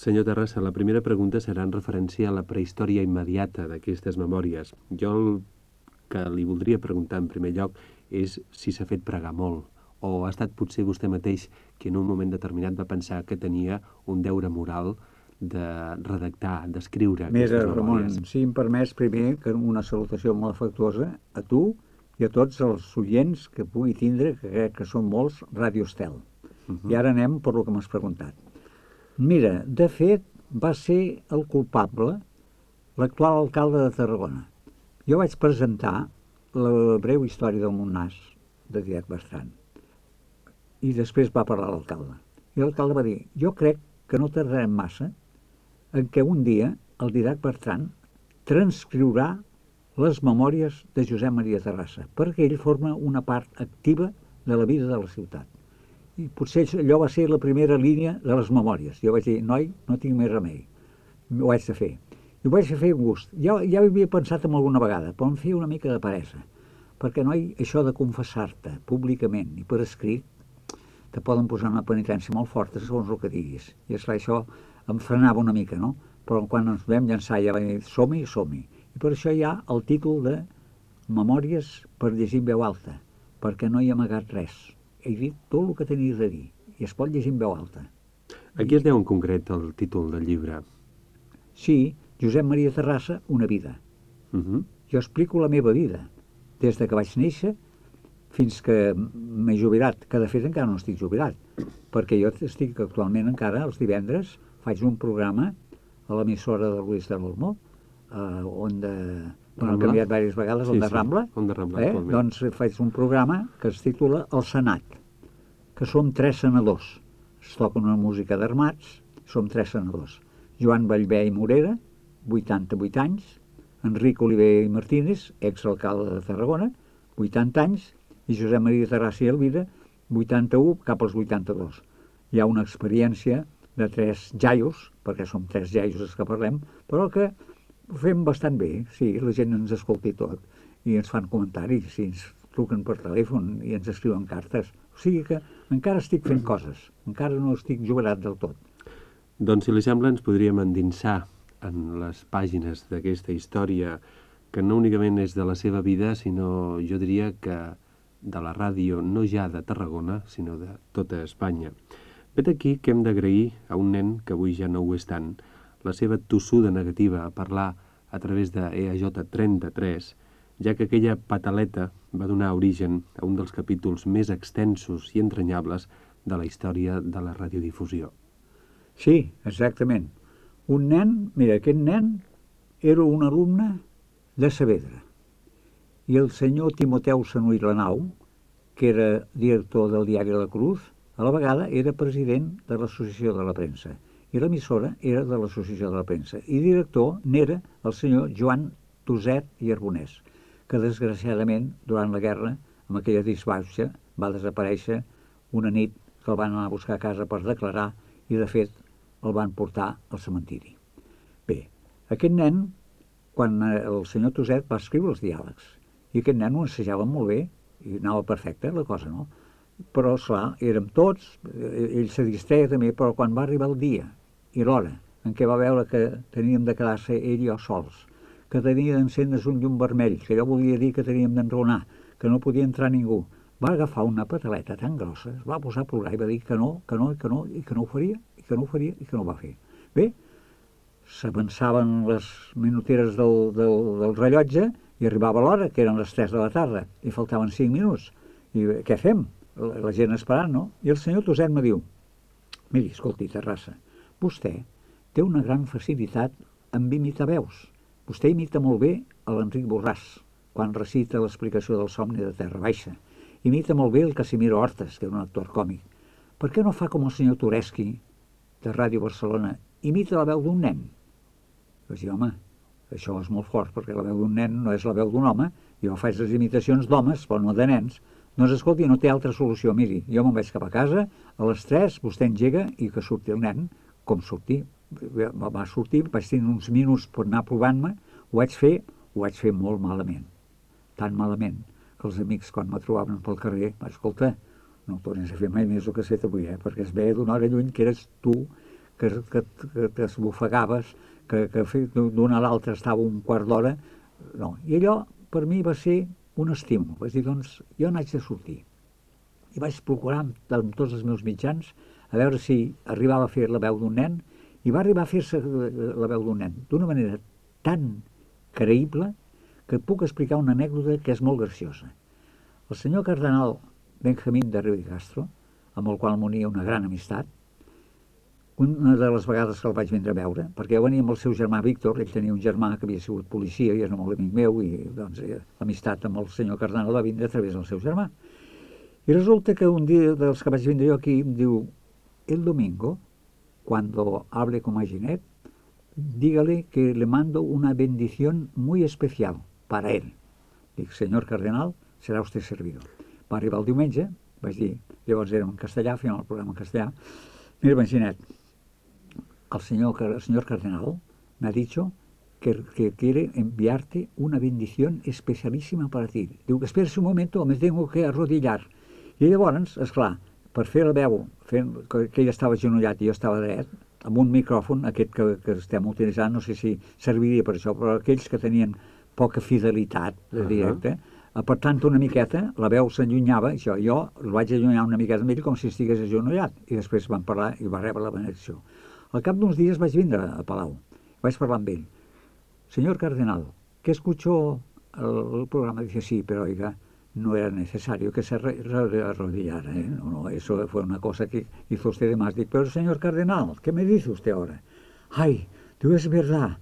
Senyor Terrassa, la primera pregunta serà en referència a la prehistòria immediata d'aquestes memòries. Jo el que li voldria preguntar en primer lloc és si s'ha fet pregar molt, o ha estat potser vostè mateix que en un moment determinat va pensar que tenia un deure moral de redactar, d'escriure aquestes memòries. Ramon, si em permets primer que una salutació molt afectuosa a tu i a tots els oients que pugui tindre, que crec que són molts, Ràdio Estel. I ara anem per lo que m'has preguntat. Mira, de fet, va ser el culpable l'actual alcalde de Tarragona. Jo vaig presentar la breu història del Montnàs de Didac Bertran i després va parlar l'alcalde. I l'alcalde va dir, jo crec que no tardarem massa en què un dia el Didac Bertran transcriurà les memòries de Josep Maria Terrassa, perquè ell forma una part activa de la vida de la ciutat. I potser allò va ser la primera línia de les memòries. Jo vaig dir, noi, no tinc més remei, ho haig de fer. I ho vaig fer amb gust. Ja ho havia pensat en alguna vegada, però em feia una mica de peresa, perquè, noi, això de confessar-te públicament i per escrit te poden posar una penitència molt forta segons el que diguis. I esclar, això em frenava una mica, no? Però quan ens vam llançar ja va dir, som-hi, som-hi. I per això hi ha el títol de Memòries per llegir en veu alta, perquè no hi ha amagat res. He dit tot el que tenia de dir i es pot llegir en veu alta. A qui es deu en concret el títol del llibre? Sí, Josep Maria Terrassa, una vida. Jo explico la meva vida, des de que vaig néixer fins que m'he jubilat, que de fet encara no estic jubilat, perquè jo estic actualment encara els divendres, faig un programa a l'emissora de Luis de l'Olmo, on han canviat diverses vegades, on de Rambla, doncs faig un programa que es titula El Senat, que som 3 senadors. Es toca una música d'armats, som 3 senadors. Joan Vallvé i Morera, 88 anys, Enric Oliver i Martínez, exalcalde de Tarragona, 80 anys, i Josep Maria Terrassa i Elvira, 81 cap als 82. Hi ha una experiència de 3 jaios, perquè som 3 jaios els que parlem, però que ho fem bastant bé, sí, la gent ens escolta i tot, i ens fan comentaris, i ens truquen per telèfon i ens escriuen cartes. O sigui que encara estic fent coses, encara no estic jubilat del tot. Doncs, si li sembla, ens podríem endinsar en les pàgines d'aquesta història que no únicament és de la seva vida, sinó, jo diria que de la ràdio, no ja de Tarragona, sinó de tota Espanya. Vet aquí que hem d'agrair a un nen, que avui ja no ho és tant, la seva tossuda negativa a parlar a través de EAJ33, ja que aquella pataleta va donar origen a un dels capítols més extensos i entranyables de la història de la radiodifusió. Sí, exactament. Un nen, mira, aquest nen era un alumne de Saavedra. I el senyor Timoteu Sanuy Lanau, que era director del diari La Cruz, a la vegada era president de l'Associació de la Premsa. I l'emissora era de l'Associació de la Premsa. I director n'era el senyor Joan Tuset i Arbonès, que desgraciadament, durant la guerra, amb aquella disbauxa, va desaparèixer una nit que el van anar a buscar a casa per declarar i, de fet, el van portar al cementiri. Bé, aquest nen, quan el senyor Tuset va escriure els diàlegs, i aquest nen ho assajava molt bé, i anava perfecte la cosa, no? Però, esclar, érem tots, ell se distreia també, però quan va arribar el dia i l'hora en què va veure que teníem de quedar-se ell i jo sols, que tenia d'encendre's un llum vermell, que allò volia dir que teníem d'enraonar, que no podia entrar ningú, va agafar una pataleta tan grossa, es va posar a plorar i va dir que no, que no, i que no, i que no ho faria, i que no ho faria, i que no ho va fer. Bé, s'avançaven les minuteres del rellotge i arribava l'hora, que eren les 3 de la tarda, i faltaven 5 minuts. I què fem? La gent esperant, no? I el senyor Tuset me diu, miri, escolti, Terrassa, vostè té una gran facilitat en imitar veus. Vostè imita molt bé a l'Enric Borràs, quan recita l'explicació del somni de Terra Baixa. Imita molt bé el Casimiro Hortas, que era un actor còmic. Per què no fa com el senyor Tureski, de Ràdio Barcelona, imita la veu d'un nen? Vaig dir, home, això és molt fort, perquè la veu d'un nen no és la veu d'un home, jo faig les imitacions d'homes, però no de nens. Doncs escolti, no té altra solució, miri, jo me'n vaig cap a casa, a les 3 vostè engega i que surti el nen, com sortir. Va sortir, vaig tenir uns minuts per anar provant-me, ho vaig fer molt malament, tan malament, que els amics quan me trobaven pel carrer, escolta, no ho tornis a fer mai més el que has fet avui, perquè es veia d'una hora lluny que eres tu que t'esbufegaves, que d'una a l'altra estava un quart d'hora. No. I allò, per mi, va ser un estímul. Vaig dir, doncs, jo n'haig de sortir. I vaig procurar amb tots els meus mitjans a veure si arribava a fer la veu d'un nen, i va arribar a fer-se la veu d'un nen d'una manera tan creïble que et puc explicar una anècdota que és molt graciosa. El senyor cardenal Benjamín de Riu i Castro, amb el qual m'unia una gran amistat, una de les vegades que el vaig vindre a veure, perquè jo venia amb el seu germà Víctor, ell tenia un germà que havia sigut policia i era molt amic meu, i doncs l'amistat amb el senyor cardenal va vindre a través del seu germà. I resulta que un dia dels que vaig vindre jo aquí em diu: el domingo, cuando hable con Maginet, dígale que le mando una bendición muy especial para él. Dic, senyor cardenal, serà usted servido. Va arribar el diumenge, vaig dir, llavors era en castellà, fèiem el programa en castellà. Mira, Maginet, el señor cardenal me ha dicho que quiere enviarte una bendición especialísima para ti. Diu, espera un momento, me tengo que arrodillar. I llavors, esclar, per fer la veu, que ell estava agenollat i jo estava dret, amb un micròfon, aquest que estem utilitzant, no sé si serviria per això, però aquells que tenien poca fidelitat de directe, apartant una miqueta, la veu s'allunyava, això, jo el vaig allunyar una miqueta amb ell com si estigués agenollat, i després vam parlar i va rebre la benedicció. Al cap d'uns dies vaig vindre a Palau, vaig parlar amb ell. Señor cardenal, que escuchó el programa, dice, sí, pero oiga, no era necesario que se arrodillara, ¿eh? No, eso fue una cosa que hizo usted de más. Digo, pero señor cardenal, ¿qué me dice usted ahora? Ay, digo, es verdad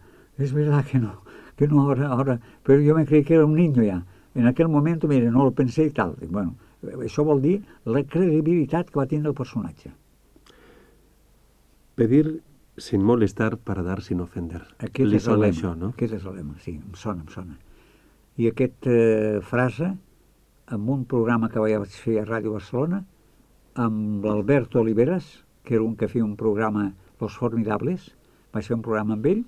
que no ahora, pero yo me creí que era un niño ya. En aquel momento, mire, no lo pensé i tal. Dic, bueno, això vol dir la credibilitat que va tindre el personatge. Pedir sin molestar para dar sin ofender. Li sona això, no? Aquest és el lema, sí, em sona. I aquesta frase, en un programa que vaig fer a Ràdio Barcelona, amb l'Alberto Oliveras, que era un que feia un programa Los Formidables, vaig fer un programa amb ell,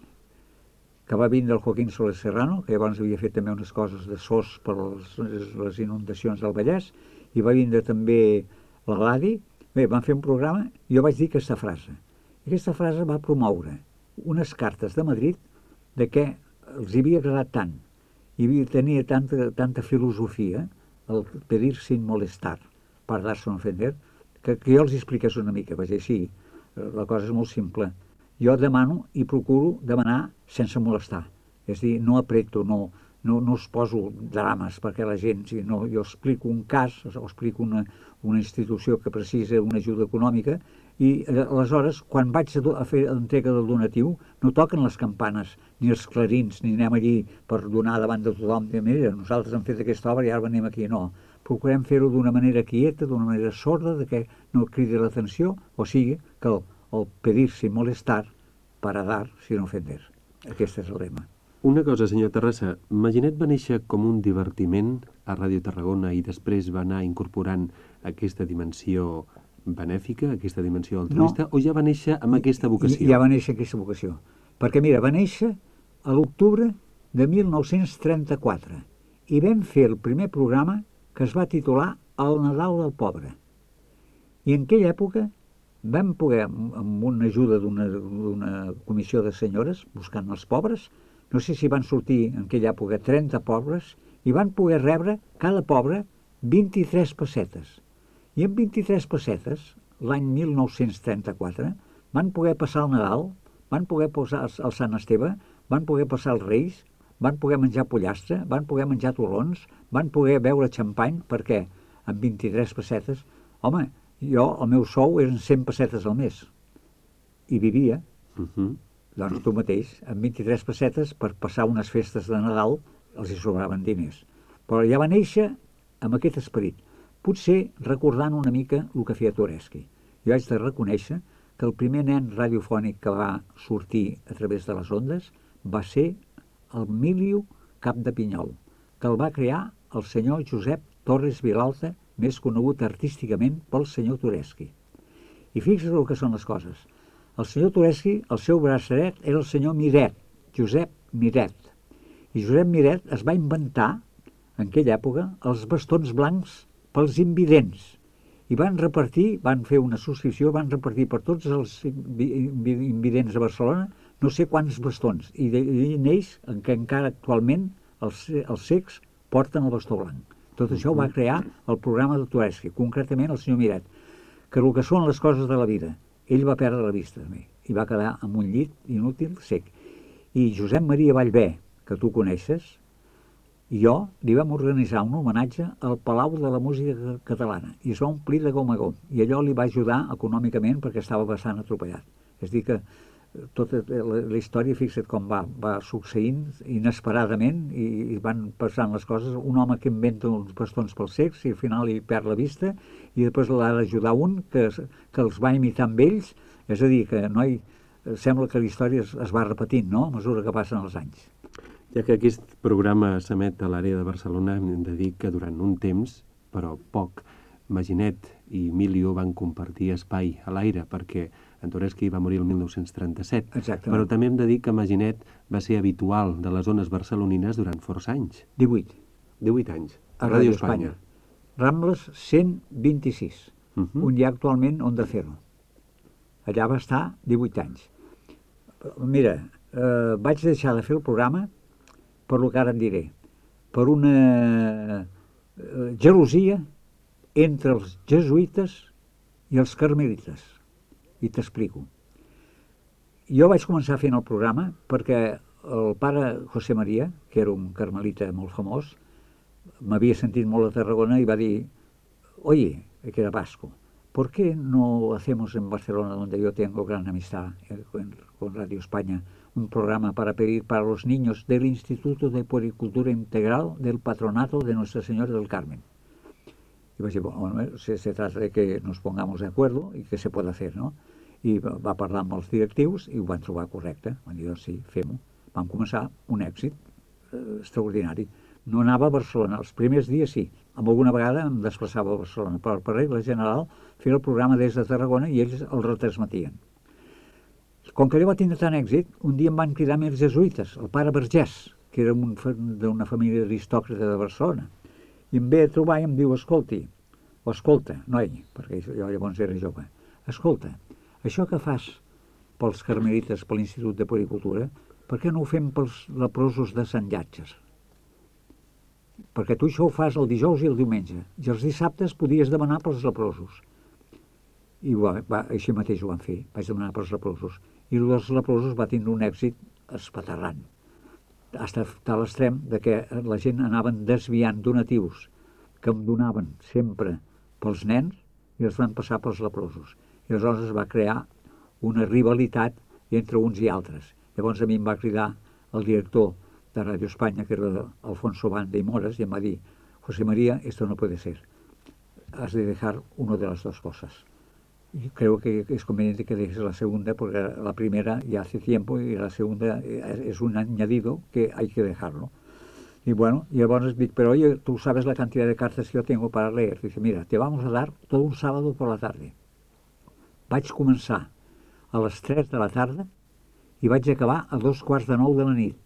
que va vindre el Joaquín Soler Serrano, que llavors havia fet també unes coses de SOS per les inundacions del Vallès, i va vindre també la Gladi. Bé, van fer un programa i jo vaig dir aquesta frase. I aquesta frase va promoure unes cartes de Madrid de què els havia agradat tant i tenia tanta filosofia el pedir sin molestar per dar-se a ofender, que jo els expliqués una mica. Vaig dir, sí, la cosa és molt simple. Jo demano i procuro demanar sense molestar. És a dir, no apreto, no us poso drames perquè la gent... No, jo explico un cas, o explico una institució que precisa una ajuda econòmica i aleshores, quan vaig a fer l'entrega del donatiu, no toquen les campanes ni els clarins, ni anem allí per donar davant de tothom. Mira, nosaltres hem fet aquesta obra i ara venim aquí. No, procurem fer-ho d'una manera quieta, d'una manera sorda, de que no cridi l'atenció, o sigui, que el pedir sin molestar para dar sin ofender. Aquest és el lema. Una cosa, senyor Terrassa, Maginet va néixer com un divertiment a Ràdio Tarragona i després va anar incorporant aquesta dimensió benèfica, aquesta dimensió altruista, o ja va néixer amb aquesta vocació? Ja va néixer aquesta vocació. Perquè, mira, va néixer a l'octubre de 1934 i vam fer el primer programa que es va titular El Nadal del Pobre. I en aquella època vam poder, amb una ajuda d'una comissió de senyores, buscant els pobres, no sé si van sortir en aquella època 30 pobres, i van poder rebre cada pobre 23 pessetes. I amb 23 pessetes, l'any 1934, van poder passar el Nadal, van poder passar el Sant Esteve, van poder passar els Reis, van poder menjar pollastre, van poder menjar torrons, van poder beure xampany, perquè amb 23 pessetes, home, el meu sou eren 100 pessetes al mes, i vivia. Doncs tu mateix, amb 23 pessetes, per passar unes festes de Nadal, els hi sobraven diners. Però ja va néixer amb aquest esperit, potser recordant una mica el que feia Tureski. Jo haig de reconèixer que el primer nen radiofònic que va sortir a través de les ondes va ser el Miliu Cap de Pinyol, que el va crear el senyor Josep Torres Vilalta, més conegut artísticament pel senyor Tureski. I fixa't el que són les coses. El senyor Tureski, el seu braç dret, era el senyor Miret, Josep Miret. I Josep Miret es va inventar, en aquella època, els bastons blancs pels invidents. i van fer una subscripció, van repartir per tots els invidents de Barcelona no sé quants bastons, i d'ells en què encara actualment els cecs porten el bastó blanc. Tot això ho va crear el programa de Tureski, concretament el senyor Miret, que el que són les coses de la vida, ell va perdre la vista també, i va quedar amb un llit inútil cec. I Josep Maria Vallvé, que tu coneixes, i jo li vam organitzar un homenatge al Palau de la Música Catalana i es va omplir de gom a gom, i allò li va ajudar econòmicament perquè estava bastant atropellat. És a dir que tota la història, fixa't com va succeint inesperadament i van passant les coses. Un home que inventa uns bastons pels cecs i al final hi perd la vista i després l'ha d'ajudar un que els va imitar amb ells. És a dir, que sembla que la història es va repetint, no?, a mesura que passen els anys. Ja que aquest programa s'emet a l'àrea de Barcelona, hem de dir que durant un temps, però poc, Maginet i Emilio van compartir espai a l'aire, perquè en Tureski va morir el 1937. Exactament. Però també hem de dir que Maginet va ser habitual de les zones barcelonines durant força anys. 18 anys. A Ràdio Espanya. Rambles 126, on hi ha actualment Onda Cero. Allà va estar 18 anys. Mira, vaig deixar de fer el programa per lo que ara et diré, per una gelosia entre els jesuïtes i els carmelites. I t'explico. Jo vaig començar fent el programa perquè el pare José María, que era un carmelita molt famós, m'havia sentit molt a Tarragona i va dir: oye, que era vasco, ¿por qué no hacemos en Barcelona, donde yo tengo gran amistad con Radio España, un programa para pedir para los niños del Instituto de Puericultura Integral del Patronato de Nuestra Señora del Carmen? Y vaig dir, bueno, se trata de que nos pongamos de acuerdo y que se puede hacer, ¿no? I va parlar amb els directius i ho van trobar correcte. Van dir, doncs sí, fem-ho. Vam començar un èxit extraordinari. No anava a Barcelona, els primers dies sí. Alguna vegada em desplaçava a Barcelona, però per regla general feia el programa des de Tarragona i ells el retransmetien. Com que allò va tindre tant èxit, un dia em van cridar més jesuïtes, el pare Vergés, que era d'una família aristòcrata de Barcelona, i em ve a trobar i em diu, escolta, noi, perquè jo llavors era jove, escolta, això que fas pels carmelites, per l'Institut de Puericultura, per què no ho fem pels leprosos de Sant Llàtzer? Perquè tu això ho fas el dijous i el diumenge, i els dissabtes podies demanar pels leprosos. I així mateix ho van fer, vaig demanar pels leprosos. I els leprosos va tindre un èxit espaterrant, fins a l'extrem de que la gent anaven desviant donatius que em donaven sempre pels nens i els van passar pels leprosos. I aleshores es va crear una rivalitat entre uns i altres. Llavors a mi em va cridar el director de Radio España, que era Alfonso Banda y Moras, y em va dir, José María, esto no puede ser. Has de dejar una de las dos cosas. Y creo que es conveniente que dejes la segunda, porque la primera ya hace tiempo y la segunda es un añadido que hay que dejarlo. Y bueno, y llavors dic, pero oye, tú sabes la cantidad de cartas que yo tengo para leer. Dice, mira, te vamos a dar todo un sábado por la tarde. Vaig començar a les 3 de la tarda i vaig acabar a 8:45 de la nit.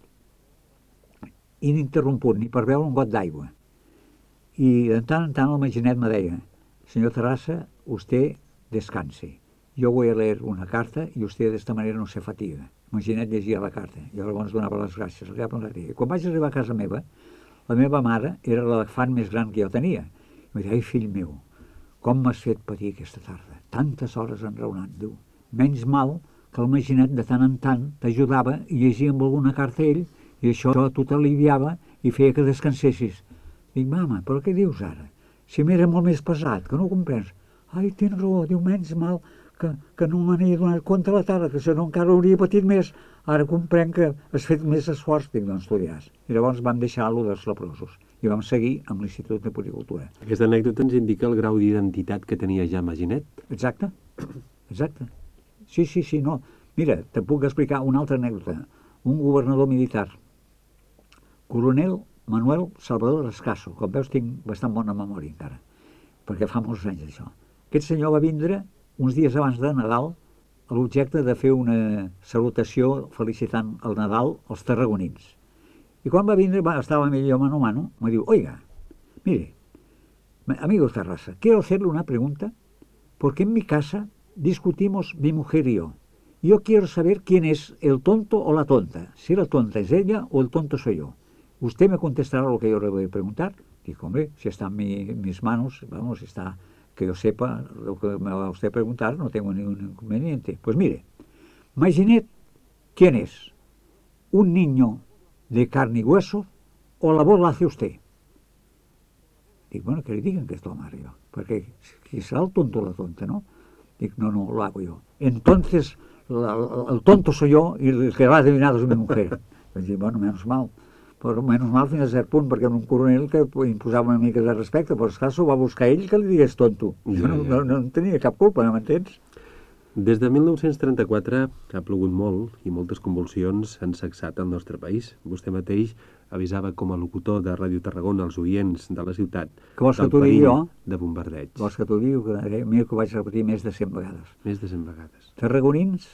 Ininterromput, ni per beure un got d'aigua. I de tant en tant el Maginet me deia, señor Terrassa, usted descanse. Yo voy a leer una carta y usted de esta manera no se fatiga. Maginet llegia la carta. Jo llavors donava les gràcies. I quan vaig arribar a casa meva, la meva mare era l'elefant més gran que jo tenia. I em deia, ai, fill meu, com m'has fet patir aquesta tarda? Tantes hores enraonant, diu. Menys mal que el Maginet de tant en tant t'ajudava i llegia amb alguna carta ell i això a tu t'aliviava i feia que descansessis. Dic, mama, però què dius ara? Si m'era molt més pesat, que no ho comprens. Ai, tens raó, diu, menys mal que no me n'he donat compte a la tarda, que si no encara hauria patit més. Ara comprenc que has fet més esforç. Dic, doncs tu diràs. I llavors vam deixar-lo dels leprosos i vam seguir amb l'Institut de Puericultura. Aquesta anècdota ens indica el grau d'identitat que tenia ja Maginet. Exacte. Sí, no. Mira, te puc explicar una altra anècdota. Un governador militar, coronel Manuel Salvador Escaso. Com veus, tinc bastant bona memòria encara, perquè fa molts anys d'això. Aquest senyor va vindre uns dies abans de Nadal a l'objecte de fer una salutació felicitant el Nadal als tarragonins. I quan va vindre, estava millor mano a mano, me diu, oiga, mire, Amigos Terrassa, quiero hacerle una pregunta, porque en mi casa discutimos mi mujer y yo. Yo quiero saber quién es el tonto o la tonta, si la tonta es ella o el tonto soy yo. Usted me contestará lo que yo le voy a preguntar. Digo, hombre, si está en mis manos, vamos, si está, que yo sepa lo que me va a usted preguntar, no tengo ningún inconveniente. Pues mire, imaginad quién es, un niño de carne y hueso o la voz la hace usted. Digo, bueno, que le digan que es tu Mario, porque si será el tonto o la tonta, ¿no? Digo, no, lo hago yo. Entonces, el tonto soy yo y el que va adivinado es mi mujer. Pues dic, bueno, menos mal. Però menys mal fins a cert punt, perquè un coronel que imposava una mica de respecte, però esclar, s'ho va buscar ell que li digués tonto. Jo no en tenia cap culpa, no m'entens? Des de 1934 ha plogut molt i moltes convulsions han sacsat el nostre país. Vostè mateix avisava com a locutor de Ràdio Tarragona als oients de la ciutat del perill de bombardeig. Vols que t'ho digui? Mira que ho vaig repetir més de 100 vegades. Més de 100 vegades. Tarragonins,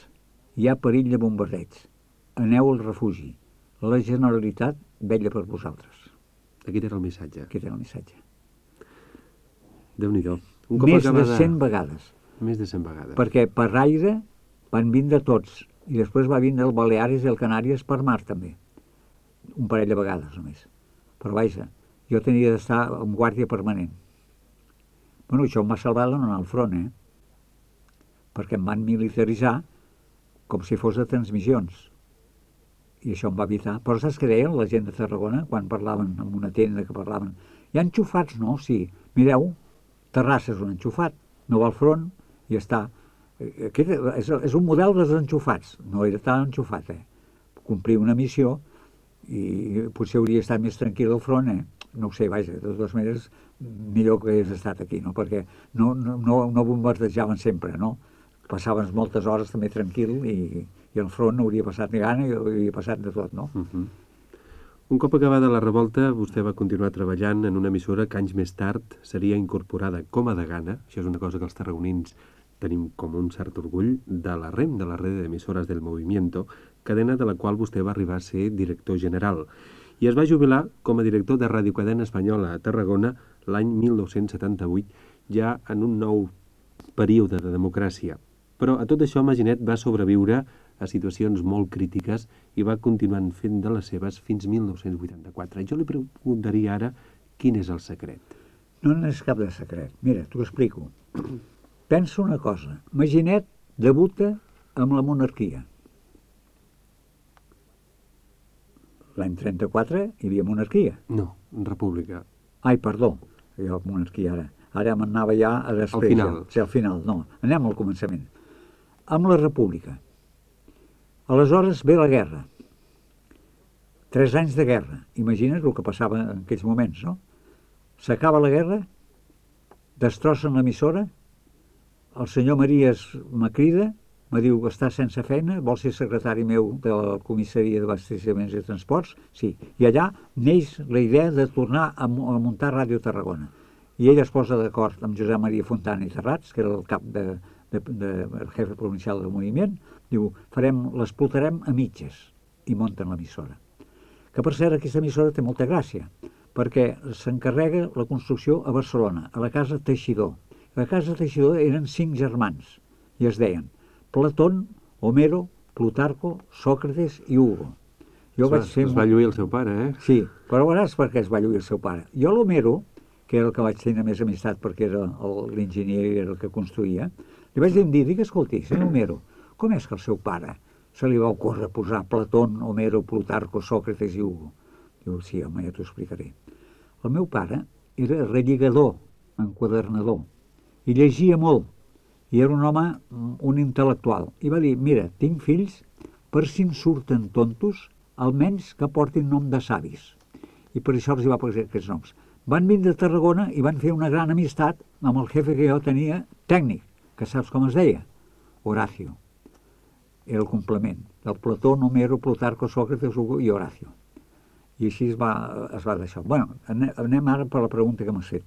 hi ha perill de bombardeig. Aneu al refugi. La Generalitat vetlla per vosaltres. Aquest era el missatge. Aquest era el missatge. Déu-n'hi-do. Més de 100 vegades. Més de 100 vegades. Perquè per aire van vindre tots. I després va vindre el Baleares i el Canàries per mar també. Un parell de vegades només. Però vaja, jo tenia d'estar en guàrdia permanent. Bueno, això em va salvar de no anar al front, perquè em van militaritzar com si fos de transmissions. I això em va evitar. Però saps què deien la gent de Tarragona quan parlaven en una tenda que parlaven? Hi ha enxufats, no? Sí. Mireu, Terrassa és un enxufat, no va al front i està. Aquest és un model dels enxufats. No era tan enxufat, Complir una missió i potser hauria estat més tranquil al front, No ho sé, vaja, de totes maneres, millor que hagués estat aquí, no? Perquè no bombardejaven sempre, no? Passaven moltes hores també tranquil i al front no hauria passat ni gana i hauria passat de tot, no? Un cop acabada la revolta, vostè va continuar treballant en una emissora que anys més tard seria incorporada com a degana, això és una cosa que els tarragonins tenim com un cert orgull, de la REM, de la Red d'Emisores del Movimiento, cadena de la qual vostè va arribar a ser director general. I es va jubilar com a director de Ràdio Cadena Espanyola a Tarragona l'any 1978, ja en un nou període de democràcia. Però a tot això Maginet va sobreviure a situacions molt crítiques i va continuant fent de les seves fins 1984. Jo li preguntaria ara quin és el secret. No n'és cap de secret. Mira, t'ho explico. Pensa una cosa. Maginet debuta amb la monarquia. L'any 34 hi havia monarquia. No, república. Ai, perdó, jo monarquia ara. Ara m'anava ja a després. Al final. Sí, al final, no. Anem al començament. Amb la república. Aleshores ve la guerra. 3 anys de guerra. Imagina't el que passava en aquells moments, no? S'acaba la guerra, destrossen l'emissora, el senyor Maries me crida, me diu que està sense feina, vol ser secretari meu de la comissaria d'abasteciments i transports? Sí. I allà neix la idea de tornar a muntar Ràdio Tarragona. I ell es posa d'acord amb Josep Maria Fontana i Terrats, que era el cap el jefe provincial del moviment, diu, l'explotarem a mitges, i munten l'emissora. Que per cert, aquesta emissora té molta gràcia, perquè s'encarrega la construcció a Barcelona, a la casa Teixidor. La casa Teixidor eren 5 germans, i es deien Platón, Homero, Plutarco, Sòcrates i Hugo. Es va lluir el seu pare, Sí, però veuràs per què es va lluir el seu pare. Jo l'Homero, que era el que vaig tenir més amistat perquè era l'enginyer i era el que construïa, li vaig dir, escolti, senyor Homero, com és que el seu pare se li va ocórrer posar Platón, Homero, Plutarco, Sòcrates i Hugo? Diu, sí, home, ja t'ho explicaré. El meu pare era relligador, enquadernador, i llegia molt, i era un home, un intel·lectual. I va dir, mira, tinc fills, per si em surten tontos, almenys que portin nom de savis. I per això els hi va posar aquests noms. Van vindre a Tarragona i van fer una gran amistat amb el jefe que jo tenia, tècnic, que saps com es deia? Horacio. Era el complement del Platón, Homero, Plutarco, Sòcrates, Hugo i Horacio. I així es va deixar. Bueno, anem ara per la pregunta que m'has fet.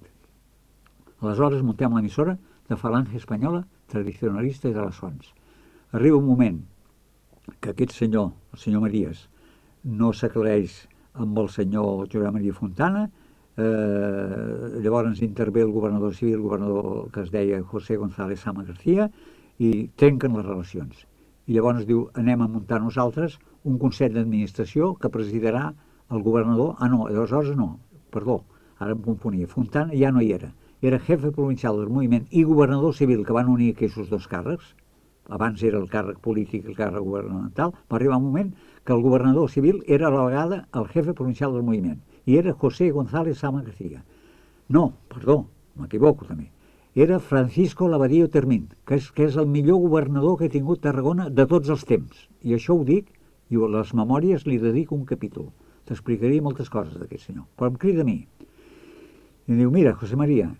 Aleshores muntem l'emissora de Falange Espanyola, tradicionalista i de les fonts. Arriba un moment que aquest senyor, el senyor Maries, no s'aclareix amb el senyor Josep Maria Fontana, Llavors intervé el governador civil, el governador que es deia José González Sama García, i trenquen les relacions. I llavors diu, anem a muntar nosaltres un consell d'administració que presidirà el governador. Aleshores no, perdó, ara em confonia. Fontana ja no hi era. Era jefe provincial del moviment i governador civil, que van unir aquests dos càrrecs. Abans era el càrrec polític i el càrrec governamental. Va arribar un moment que el governador civil era a la vegada el jefe provincial del moviment. I era José González Sama García. No, perdó, m'equivoco també. Era Francisco Lavadillo Termín, que és el millor governador que ha tingut Tarragona de tots els temps. I això ho dic, i a les memòries li dedico un capítol. T'explicaria moltes coses d'aquest senyor. Però em crida a mi. Y digo, mira, José María,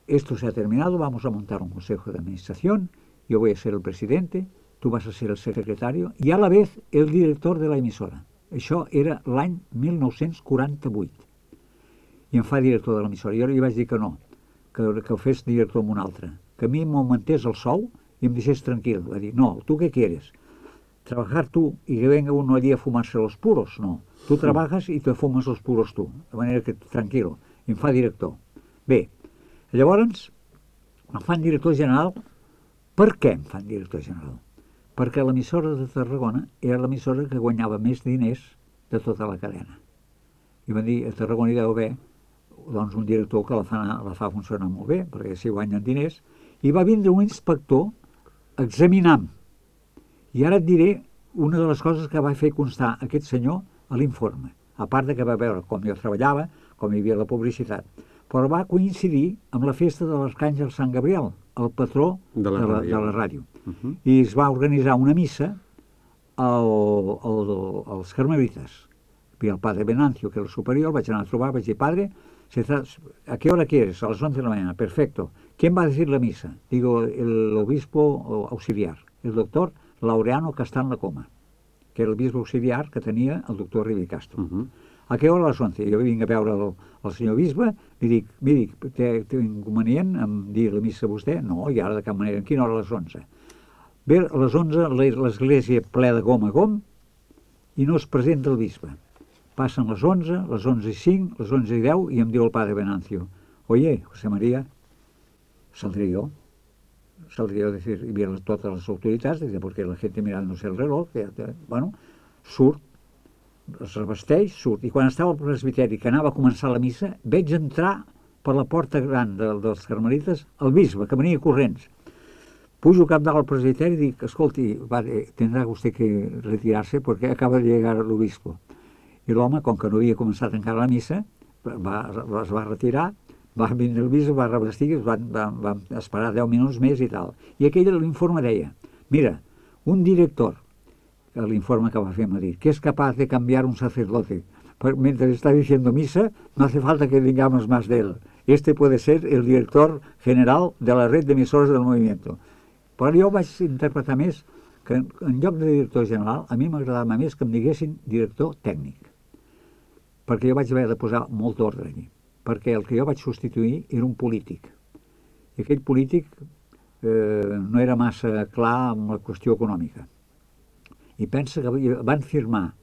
esto se ha terminado, vamos a montar un consejo de administración, yo voy a ser el presidente, tú vas a ser el secretario y a la vez el director de la emissora. Això era l'any 1948. I em fa director de l'emissora. Jo li vaig dir que no, que ho fes director amb un altre, que a mi m'augmentés el sou i em deixés tranquil. Va dir, no, ¿tú qué quieres? ¿Trabajar tú y que venga uno allí a fumarse los puros? No, tú trabajas y te fumas los puros tú, de manera que tranquilo. I em fa director. Bé, llavors em fan director general. Per què em fan director general? Perquè l'emissora de Tarragona era l'emissora que guanyava més diners de tota la cadena. I van dir, a Tarragona hi deu haver doncs, un director que la fa funcionar molt bé, perquè s'hi guanyen diners, i va vindre un inspector examinant. I ara et diré una de les coses que va fer constar aquest senyor a l'informe, a part de que va veure com jo treballava, com hi havia la publicitat, però va coincidir amb la festa de l'Arcàngel Sant Gabriel, el patró de la ràdio. I es va organitzar una missa als carmelites. Vi el padre Venancio, que era el superior, vaig anar a trobar, vaig dir, padre, ¿a qué hora quieres? A las 11 de la mañana, perfecto. ¿Quién va a decir la misa? Digo, el obispo auxiliar, el doctor Laureano Castán Lacoma, que era el bisbe auxiliar que tenia el doctor Rivi Castro. A què hora? A les 11. Jo vinc a veure el senyor bisbe, li dic, miri, té inconvenient en dir la missa a vostè? No, i ara de cap manera. En quina hora? A les 11. Bé, a les 11 l'església ple de gom a gom i no es presenta el bisbe. Passen les 11, les 11:05, les 11:10 i em diu el padre Venancio, oye, José María, saldré yo a decir, y vieron todas las autoridades, porque la gente mirándose el reloj, bueno, surt, es revesteix, surt. I quan estava al presbiteri, que anava a començar la missa, veig entrar per la porta gran dels carmelites el bisbe, que venia corrents. Pujo cap dalt al presbiteri i dic, escolti, tendrá usted que retirarse porque acaba de llegar el obispo. I l'home, com que no havia començat encara la missa, es va retirar, va vindre el bisbe, va revestir, van esperar 10 minuts més i tal. I aquell l'informe deia, mira, un director, l'informe que va fer a Madrid, que es capaz de cambiar un sacerdote. Mientras está diciendo misa, no hace falta que digamos más de él. Este puede ser el director general de la red de emisoras del movimiento. Però jo vaig interpretar més que en lloc de director general, a mi m'agradava més que em diguessin director tècnic. Perquè jo vaig haver de posar molt ordre allí. Perquè el que jo vaig substituir era un polític. I aquell polític no era massa clar amb la qüestió econòmica. I pensa que van firmar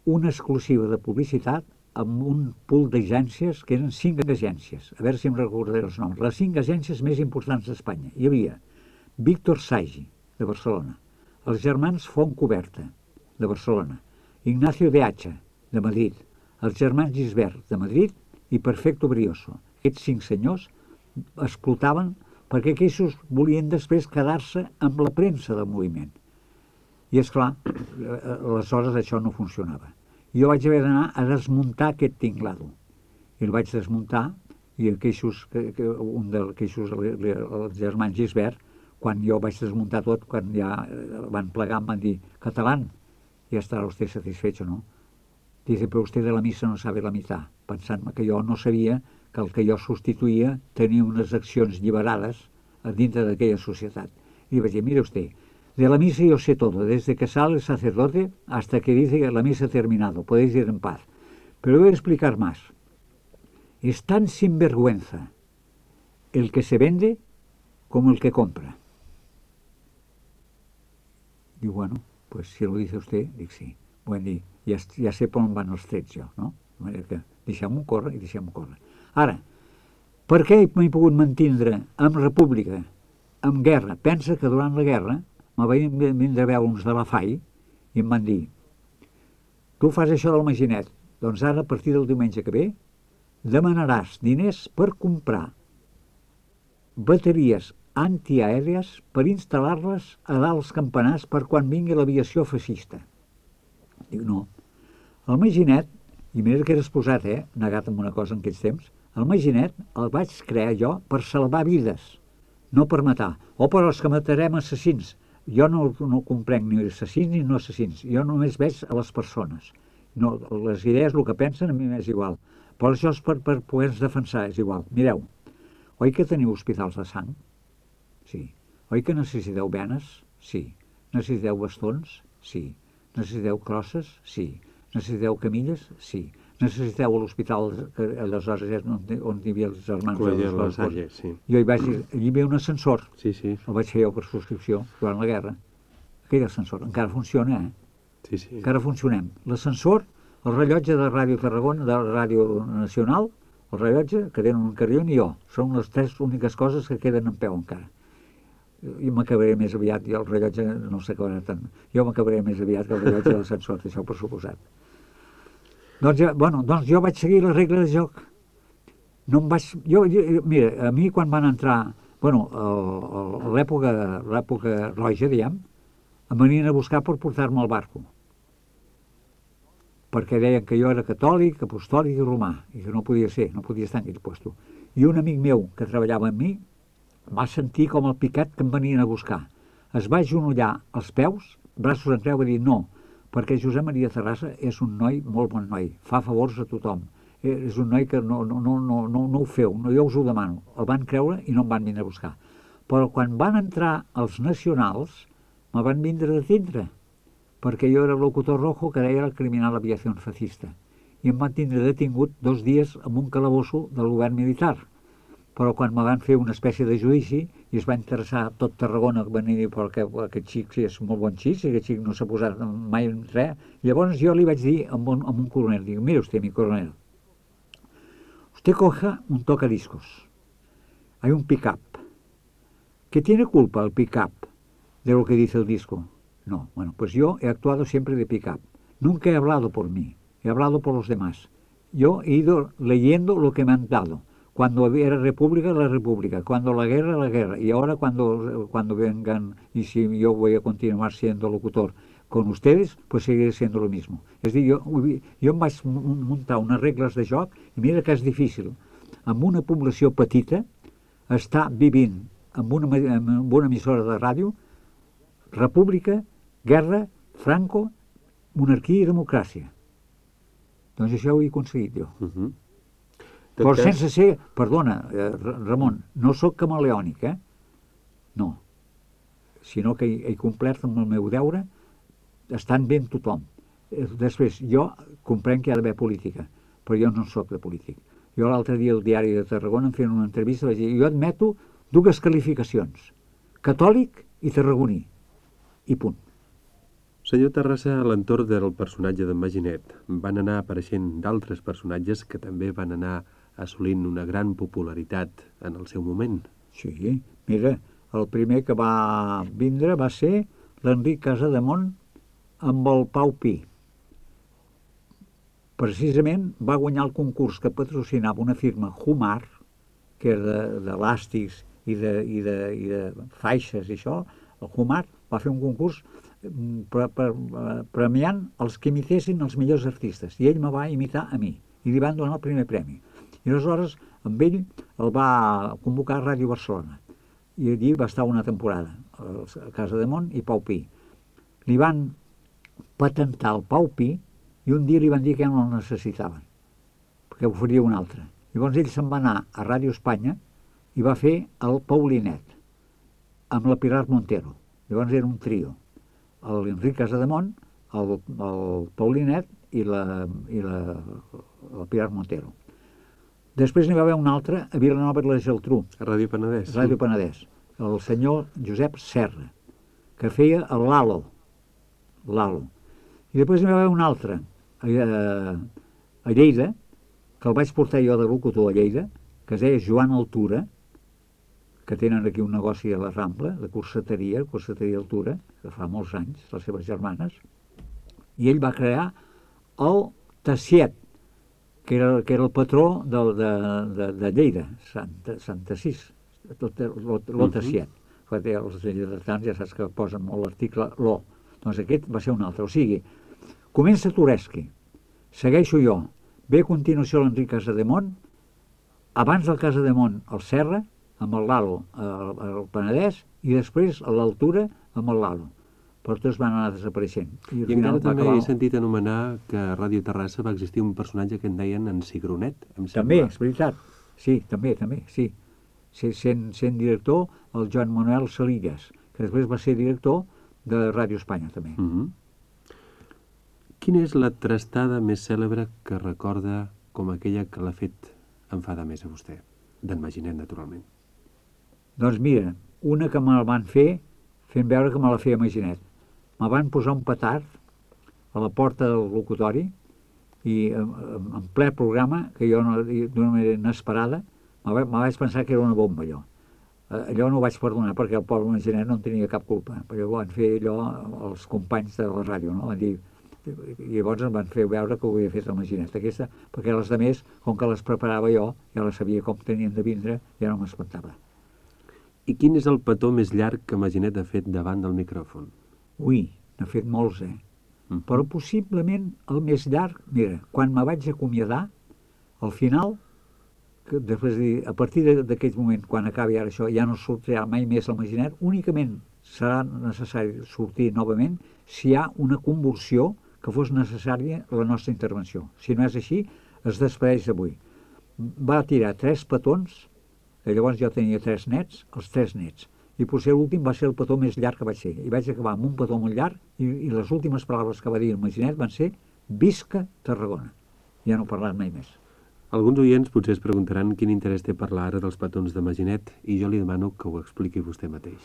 una exclusiva de publicitat amb un pool d'agències, que eren 5 agències. A veure si em recordaré els noms. Les 5 agències més importants d'Espanya. Hi havia Víctor Sagi, de Barcelona, els germans Fontcoberta, de Barcelona, Ignacio de Hacha, de Madrid, els germans Gisbert, de Madrid, i Perfecto Brioso. Aquests 5 senyors explotaven perquè aquests volien després quedar-se amb la premsa del moviment. I, esclar, aleshores això no funcionava. Jo vaig haver d'anar a desmuntar aquest tinglado. I el vaig desmuntar, i un d'aquells, els germans Gisbert, quan jo vaig desmuntar tot, quan ja van plegar, em van dir, catalán, ya estará usted satisfecho, ¿no? Dice, pero usted de la misa no sabe la mitad, pensant que jo no sabia que el que jo substituïa tenia unes accions lliberades dintre d'aquella societat. I vaig dir, mire usted, de la misa yo sé todo, desde que sale el sacerdote hasta que dice que la misa ha terminado, podéis ir en paz. Pero voy a explicar más. Es tan sinvergüenza el que se vende como el que compra. Diu, bueno, pues si lo dice usted, dic sí. Bueno, ja sé per on van els trets jo, no? De manera que deixem-ho córrer i deixem-ho córrer. Ara, per què m'he pogut mantindre amb república, amb guerra? Pensa que durant la guerra me vaig vindre a veure uns de la FAI i em van dir: tu fas això del Maginet, doncs ara, a partir del diumenge que ve, demanaràs diners per comprar bateries antiaèries per instal·lar-les a dalt els campanars per quan vingui l'aviació feixista. Dic, no. El Maginet, i mira que era exposat, negat amb una cosa en aquells temps, el Maginet el vaig crear jo per salvar vides, no per matar. O per els que matarem assassins. Jo no comprenc ni assassins ni no assassins. Jo només veig a les persones. No, les idees, el que pensen, a mi m'és igual. Però això és per poder-nos defensar, és igual. Mireu, oi que teniu hospitals de sang? Sí. Oi que necessiteu venes? Sí. Necessiteu bastons? Sí. Necessiteu crosses? Sí. Necessiteu camilles? Sí. Necessiteu l'hospital, que aleshores és on hi havia els germans de la Salle, sí. Jo allí hi havia un ascensor. Sí, sí. El vaig fer jo per subscripció durant la guerra. Aquell ascensor encara funciona, Sí, sí. Encara funcionem. L'ascensor, el rellotge de Ràdio Tarragona, de Ràdio Nacional, el rellotge, que tenen un carrion, i jo. Són les tres úniques coses que queden en peu encara. Jo m'acabaré més aviat, jo el rellotge no s'acabarà tant. Jo m'acabaré més aviat que el rellotge de l'ascensor, això per suposat. Doncs jo vaig seguir les regles de joc. No em vaig... Mira, a mi quan van entrar... a l'època roja, diguem, em venien a buscar per portar-me al barco. Perquè deien que jo era catòlic, apostòlic i romà, i que no podia ser, no podia estar en aquell lloc. I un amic meu que treballava amb mi va sentir com el picat que em venien a buscar. Es va agenollar als peus, braços en creu, i va dir no, perquè Josep Maria Terrassa és un noi, molt bon noi, fa favors a tothom. És un noi que no ho feu, jo us ho demano. El van creure i no em van vindre a buscar. Però quan van entrar els nacionals, me van vindre a detindre, perquè jo era el locutor rojo que deia el criminal aviació fascista. I em van tindre detingut 2 dies en un calabosso del govern militar. Però quan me van fer una espècie de judici i es va interessar tot Tarragona, van dir perquè aquest xic sí, és molt bon xic, aquest xic no s'ha posat mai en res. Llavors jo li vaig dir a un coronel, dic, mira usted, mi coronel, usted coja un tocadiscos, hay un pick-up. ¿Qué tiene culpa el pick-up de lo que dice el disco? No, bueno, pues yo he actuado siempre de pick-up. Nunca he hablado por mí, he hablado por los demás. Yo he ido leyendo lo que me han dado. Cuando era república, la república. Cuando la guerra, la guerra. Y ahora cuando vengan, y si yo voy a continuar siendo locutor con ustedes, pues seguiré siendo lo mismo. És a dir, jo em vaig muntar unes regles de joc, i mira que és difícil. Amb una població petita, estar vivint amb una emissora de ràdio, república, guerra, Franco, monarquia i democràcia. Doncs això ho he aconseguit jo. Però sense ser, perdona, Ramon, no sóc camaleònic, no, sinó que he complert amb el meu deure estant bé amb tothom. Després, jo comprenc que hi ha d'haver política, però jo no sóc de polític. Jo l'altre dia al Diari de Tarragona em feien una entrevista i vaig dir, jo admeto 2 qualificacions, catòlic i tarragoní, i punt. Senyor Terrassa, a l'entorn del personatge d'en Maginet van anar apareixent d'altres personatges que també van anar assolint una gran popularitat en el seu moment. Sí, mira, el primer que va vindre va ser l'Enric Casademont amb el Pau Pi. Precisament va guanyar el concurs que patrocinava una firma Humar, que era d'elàstics i de faixes i això. El Humar va fer un concurs premiant els que imitessin els millors artistes, i ell me va imitar a mi i li van donar el primer premi. I aleshores amb ell el va convocar a Ràdio Barcelona i allí va estar una temporada a Casademont i Pau Pi. Li van patentar el Pau Pi i un dia li van dir que no el necessitaven perquè ho faria un altre. Llavors ell se'n va anar a Ràdio Espanya i va fer el Paulinet amb la Pilar Montero. Llavors era un trio, l'Enric Casademont, el Paulinet i la Pilar Montero. Després n'hi va haver un altre a Vilanova i la Geltrú, A Ràdio Penedès. Ràdio Penedès, el senyor Josep Serra, que feia el Lalo. I després n'hi va haver un altre a Lleida, que el vaig portar jo de locutor a Lleida, que es deia Joan Altura, que tenen aquí un negoci a la Rambla, de corseteria Altura, que fa molts anys, les seves germanes, i ell va crear el Tassiet, que era el patró de Lleida, Sant Assís, lo Tassiet. Els lleidatans ja saps que posen molt l'article lo. Doncs aquest va ser un altre. O sigui, comença Tureski, segueixo jo, ve a continuació l'Enric Casademont, abans del Casademont el Serra, amb el Lalo al Penedès, i després a l'Altura amb el Lalo. Però tots van anar desapareixent. I encara també he sentit anomenar que a Ràdio Terrassa va existir un personatge que en deien en Cigronet, em sembla. També, és veritat. Sí, també, sí. Sent director el Joan Manuel Salillas, que després va ser director de Ràdio Espanya, també. Quina és la trastada més cèlebre que recorda com aquella que l'ha fet enfadar més a vostè? D'en Maginet, naturalment. Doncs mira, una que me la van fer fent veure que me la feia Maginet. Me van posar un petard a la porta del locutori i en ple programa, que jo d'una manera inesperada, me vaig pensar que era una bomba, allò. Allò no ho vaig perdonar perquè el pobre Maginet no en tenia cap culpa. Però van fer allò els companys de la ràdio, no? Van dir, i llavors em van fer veure que ho havia fet el Maginet aquesta, perquè les altres, com que les preparava jo, ja les sabia com tenien de vindre, ja no m'espantava. I quin és el petó més llarg que Maginet ha fet davant del micròfon? Ui, n'ha fet molts, Però possiblement el més llarg, mira, quan me vaig acomiadar, al final, que després de dir, a partir d'aquell moment, quan acabi ara això, ja no sortirà mai més el Maginet, únicament serà necessari sortir novament si hi ha una convulsió que fos necessària la nostra intervenció. Si no és així, es despedeix d'avui. Va tirar 3 petons, llavors jo tenia 3 nets, els 3 nets, i potser l'últim va ser el petó més llarg que vaig ser. I vaig acabar amb un petó molt llarg i les últimes paraules que va dir el Maginet van ser Visca Tarragona. Ja no he parlat mai més. Alguns oients potser es preguntaran quin interès té parlar ara dels petons de Maginet i jo li demano que ho expliqui vostè mateix.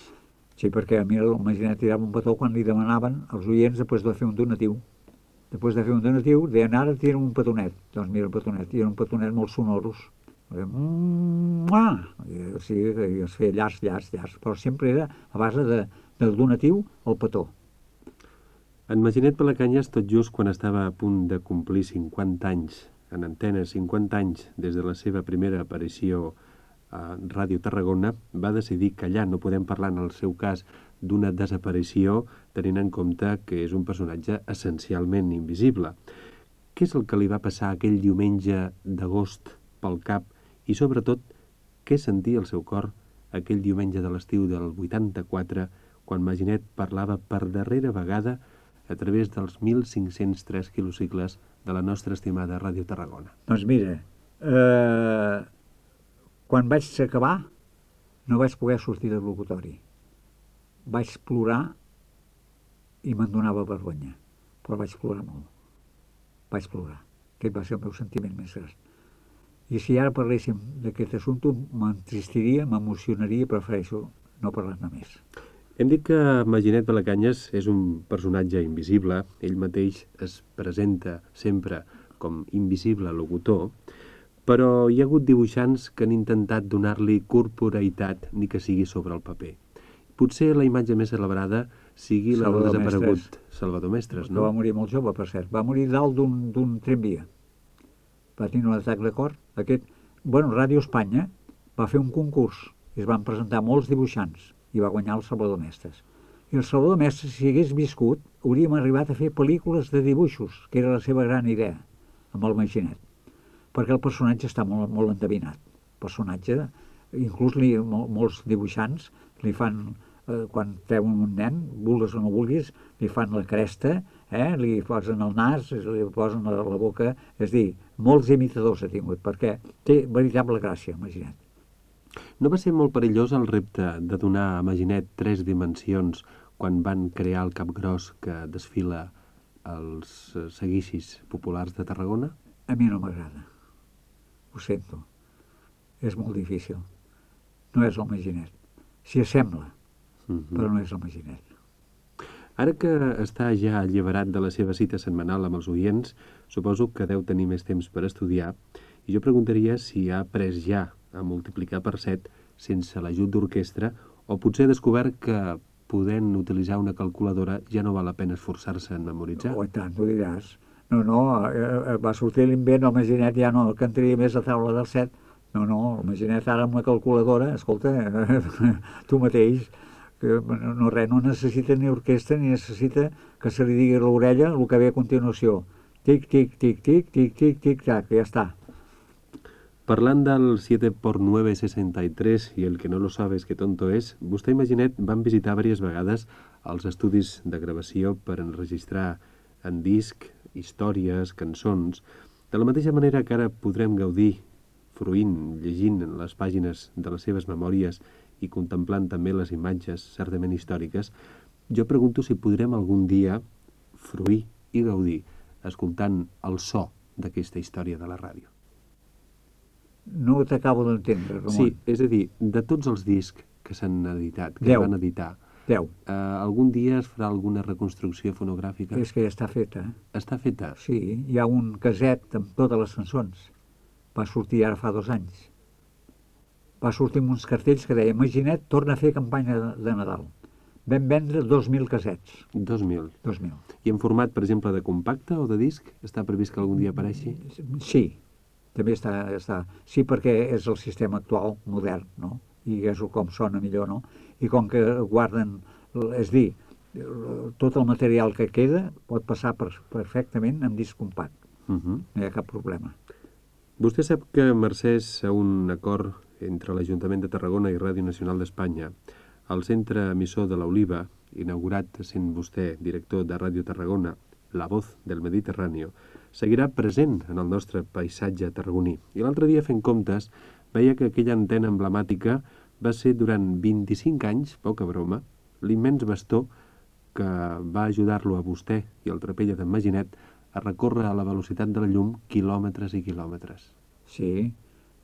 Sí, perquè a mi el Maginet tirava un petó quan li demanaven els oients després de fer un donatiu. Després de fer un donatiu, deien ara tira'm un petonet. Doncs mira el petonet, i era un petonet molt sonoros. O sigui, que es feia llargs, però sempre era a base del donatiu al petó. En Maginet Palacanyes, tot just quan estava a punt de complir 50 anys en antena, 50 anys des de la seva primera aparició a Ràdio Tarragona, va decidir callar. No podem parlar, en el seu cas, d'una desaparició, tenint en compte que és un personatge essencialment invisible. Què és el que li va passar aquell diumenge d'agost pel cap i, sobretot, què sentia el seu cor aquell diumenge de l'estiu del 84, quan Maginet parlava per darrera vegada a través dels 1.503 quilocicles de la nostra estimada Ràdio Tarragona? Doncs mira, quan vaig acabar no vaig poder sortir del locutori. Vaig plorar i me'n donava vergonya, però vaig plorar molt. Vaig plorar. Aquest va ser el meu sentiment més gran. I si ara parléssim d'aquest assumpte, m'entristiria, m'emocionaria, prefereixo no parlar-ne més. Hem dit que Maginet Palacanyes és un personatge invisible, ell mateix es presenta sempre com invisible locutor, però hi ha hagut dibuixants que han intentat donar-li corporeïtat, ni que sigui sobre el paper. Potser la imatge més celebrada sigui la del desaparegut Salvador Mestres, no? Que va morir molt jove, per cert. Va morir dalt d'un tramvia. Va tenir un atac de cor. Ràdio Espanya va fer un concurs i es van presentar molts dibuixants i va guanyar el Salvador Mestres. I el Salvador Mestres, si hagués viscut, hauríem arribat a fer pel·lícules de dibuixos, que era la seva gran idea, amb el Maginet. Perquè el personatge està molt, molt endevinat. El personatge, inclús molts dibuixants li fan, quan treuen un nen, vulguis o no vulguis, li fan la cresta, li posen el nas, li posen la boca. És dir, molts imitadors ha tingut, perquè té veritable gràcia, Maginet. No va ser molt perillós el repte de donar a Maginet 3 dimensions quan van crear el capgros que desfila als seguicis populars de Tarragona? A mi no m'agrada. Ho sento. És molt difícil. No és el Maginet. S'hi assembla, però no és el Maginet. Ara que està ja alliberat de la seva cita setmanal amb els oients, suposo que deu tenir més temps per estudiar, i jo preguntaria si ha après ja a multiplicar per 7 sense l'ajut d'orquestra, o potser ha descobert que podent utilitzar una calculadora ja no val la pena esforçar-se en memoritzar. Oh, i tant, ho diràs. No, va sortir l'invent, el Maginet ja no cantaria més a taula del 7. No, el Maginet ara amb una calculadora, escolta, tu mateix, que no necessita ni orquestra ni necessita que se li digui a l'orella el que ve a continuació. Tic, tic, tic, tic, tic, tic, tic, tac, ja està. Parlant del 7x963 i el que no lo sabes que tonto és, vostè i Maginet van visitar diverses vegades els estudis de gravació per enregistrar en disc històries, cançons, de la mateixa manera que ara podrem gaudir fruint, llegint les pàgines de les seves memòries i contemplant també les imatges certament històriques. Jo pregunto si podrem algun dia fruir i gaudir escoltant el so d'aquesta història de la ràdio. No t'acabo d'entendre, Ramon. Sí, és a dir, de tots els discs que s'han editat, que 10. es van editar, 10. Algun dia es farà alguna reconstrucció fonogràfica? És que ja està feta. Està feta? Sí, hi ha un caset amb totes les cançons. Va sortir ara fa 2 anys. Va sortir amb uns cartells que deia Maginet torna a fer campanya de Nadal. Vam vendre 2.000 casets. 2.000. 2.000. I en format, per exemple, de compacte o de disc? Està previst que algun dia apareixi? Sí, també està. Sí, perquè és el sistema actual, modern, no? I és com sona millor, no? I com que guarden, és dir, tot el material que queda pot passar perfectament en disc compact. No hi ha cap problema. Vostè sap que mercès a un acord entre l'Ajuntament de Tarragona i Ràdio Nacional d'Espanya, el centre emissor de l'Oliva, inaugurat sent vostè director de Ràdio Tarragona, La Voz del Mediterráneo, seguirà present en el nostre paisatge tarragoní. I l'altre dia, fent comptes, veia que aquella antena emblemàtica va ser durant 25 anys, poca broma, l'immens bastó que va ajudar-lo a vostè i el trapella d'en Maginet a recórrer a la velocitat de la llum quilòmetres i quilòmetres. Sí,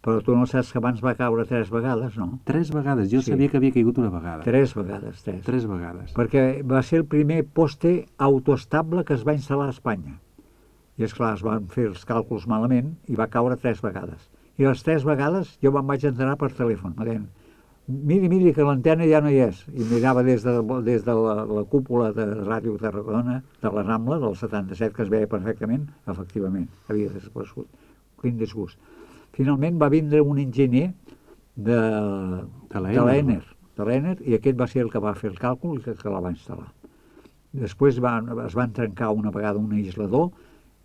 però tu no saps que abans va caure 3 vegades, no? 3 vegades? Jo sabia que havia caigut una vegada. 3 vegades, 3. 3 vegades. Perquè va ser el primer poste autoestable que es va instal·lar a Espanya. I esclar, es van fer els càlculs malament i va caure 3 vegades. I les 3 vegades jo me'n vaig enterar per telèfon. Miri, que l'antena ja no hi és. I mirava des de la cúpula de Ràdio Tarragona, de la Rambla, del 77, que es veia perfectament, efectivament, havia desaparegut. Quin disgust. Finalment va vindre un enginyer de l'Ener, i aquest va ser el que va fer el càlcul i que la va instal·lar. Després es van trencar una vegada un aïslador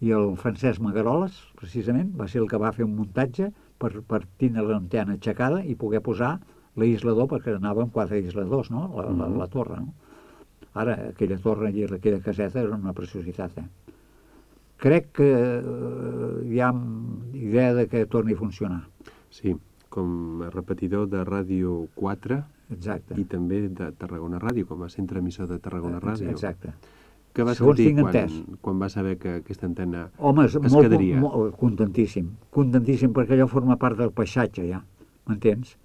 i el Francesc Magaroles, precisament, va ser el que va fer un muntatge per tindre l'antena aixecada i poder posar l'aïslador, perquè anava amb 4 aïsladors, no? La torre, no? Ara, aquella torre i aquella caseta era una preciositat, Crec que hi ha idea de que torni a funcionar. Sí, com a repetidor de Ràdio 4. Exacte. I també de Tarragona Ràdio, com a centre emissor de Tarragona Ràdio. Exacte. Què va sentir quan va saber que aquesta antena es quedaria? Home, contentíssim, perquè allò forma part del paisatge, ja, m'entens?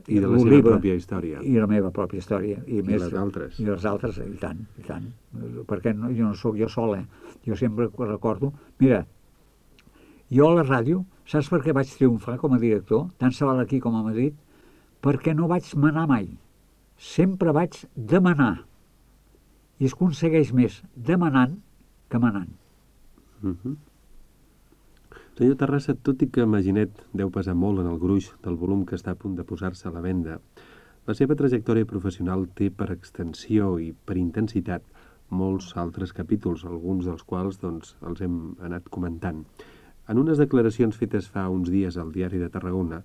I de la seva pròpia història. I la meva pròpia història. I les altres. I les altres, i tant. Perquè jo no sóc jo sol, Jo sempre recordo... Mira, jo a la ràdio, saps per què vaig triomfar com a director, tant se val aquí com a Madrid? Perquè no vaig manar mai. Sempre vaig demanar. I es aconsegueix més demanant que manant. Senyor Terrassa, tot i que Maginet deu pesar molt en el gruix del volum que està a punt de posar-se a la venda, la seva trajectòria professional té per extensió i per intensitat molts altres capítols, alguns dels quals els hem anat comentant. En unes declaracions fetes fa uns dies al Diari de Tarragona,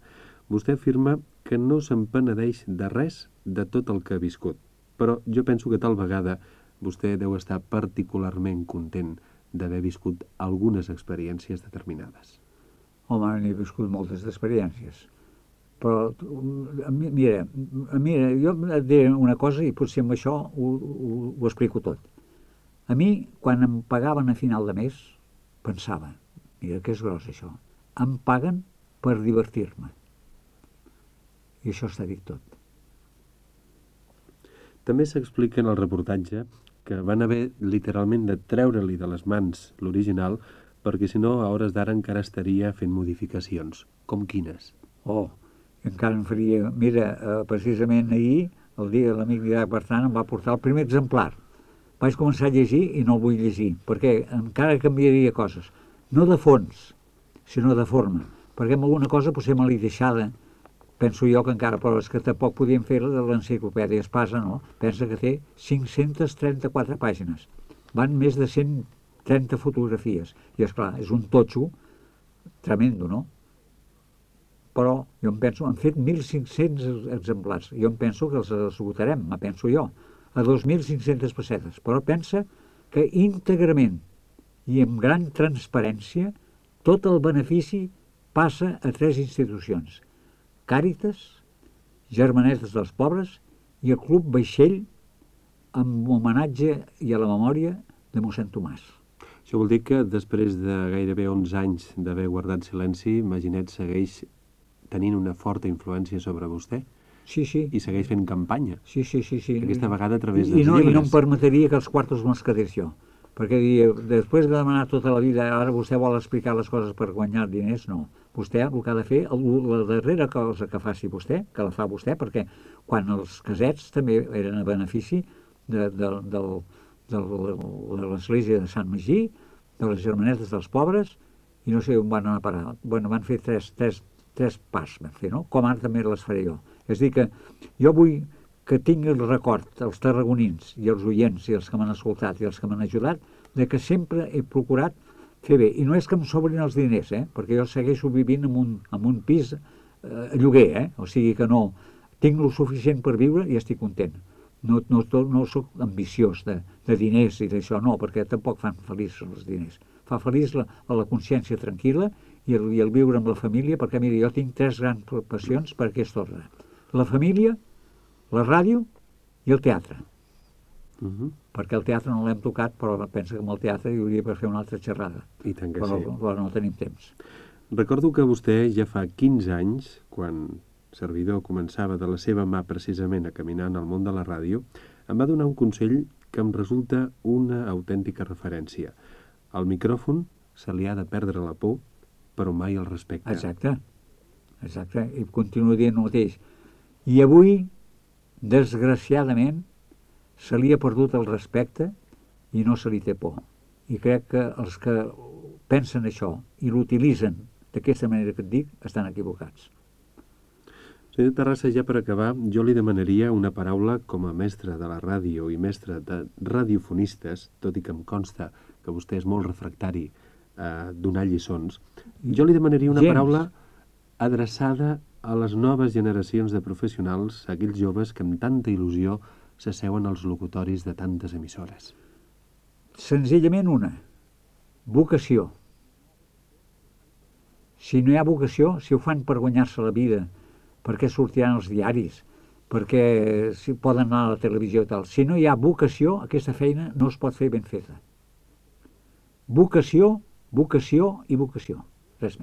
vostè afirma que no se'n penedeix de res de tot el que ha viscut, però jo penso que tal vegada vostè deu estar particularment content d'haver viscut algunes experiències determinades. Home, n'he viscut moltes experiències. Però, mira, jo et diré una cosa i potser amb això ho explico tot. A mi, quan em pagaven a final de mes, pensava, mira que és gros això, em paguen per divertir-me. I això està dit tot. També s'explica en el reportatge que van haver literalment de treure-li de les mans l'original, perquè si no a hores d'ara encara estaria fent modificacions. Com quines? Oh, encara em faria... Mira, precisament ahir, el dia de l'amic Didac Bertran, em va portar el primer exemplar. Vaig començar a llegir i no el vull llegir, perquè encara canviaria coses. No de fons, sinó de forma. Perquè amb alguna cosa potser me l'he deixada, penso jo que encara, però és que tampoc podíem fer de l'enciclopèdia Espasa, no? Pensa que té 534 pàgines. Van més de 130 fotografies. I, esclar, és un totxo tremendo, no? Però jo em penso, han fet 1.500 exemplars. Jo em penso que els esgotarem, me penso jo, a 2.500 pessetes. Però pensa que íntegrament i amb gran transparència tot el benefici passa a 3 institucions. Càritas, Germanetes dels Pobres i el Club Vaixell amb homenatge i a la memòria de mossèn Tomàs. Això vol dir que després de gairebé 11 anys d'haver guardat silenci, Maginet segueix tenint una forta influència sobre vostè? Sí, sí. I segueix fent campanya? Sí. Aquesta vegada a través dels llibres. I no em permetria que els quartos me'ls quedés jo. Perquè després de demanar tota la vida, ara vostè vol explicar les coses per guanyar diners, no. Vostè el que ha de fer, la darrera cosa que faci vostè, que la fa vostè, perquè quan els casets també eren a benefici de l'església de Sant Magí, de les Germanetes dels Pobres, i no sé on van anar a parar. Bueno, van fer tres pas, van fer, no? Com ara també les faré jo. És a dir, que jo vull que tingui el record, els tarragonins i els oients i els que m'han escoltat i els que m'han ajudat, de que sempre he procurat fer bé. I no és que em sobrin els diners, perquè jo segueixo vivint en un pis a lloguer, o sigui que no, tinc lo suficient per viure i estic content. No soc ambiciós de diners i d'això, no, perquè tampoc fan feliç els diners. Fa feliç la consciència tranquil·la i el viure amb la família, perquè mira, jo tinc 3 grans passions per aquest ordre. La família, la ràdio i el teatre. Perquè el teatre no l'hem tocat, però pensa que amb el teatre hi hauria per fer una altra xerrada. I tant que però, sí. Però no tenim temps. Recordo que vostè ja fa 15 anys, quan servidor començava de la seva mà precisament a caminar en el món de la ràdio, em va donar un consell que em resulta una autèntica referència. Al micròfon se li ha de perdre la por, però mai el respecte. Exacte. I continuo dient el mateix. I avui, desgraciadament, se li ha perdut el respecte i no se li té por. I crec que els que pensen això i l'utilitzen d'aquesta manera que et dic, estan equivocats. Senyor Terrassa, ja per acabar, jo li demanaria una paraula com a mestre de la ràdio i mestre de radiofonistes, tot i que em consta que vostè és molt refractari a donar lliçons. Jo li demanaria una paraula adreçada a les noves generacions de professionals, a aquells joves que amb tanta il·lusió s'asseuen als locutoris de tantes emissores. Senzillament una, vocació. Si no hi ha vocació, si ho fan per guanyar-se la vida, perquè sortiran els diaris, perquè si poden anar a la televisió i tal. Si no hi ha vocació, aquesta feina no es pot fer ben feta. Vocació i vocació, res més.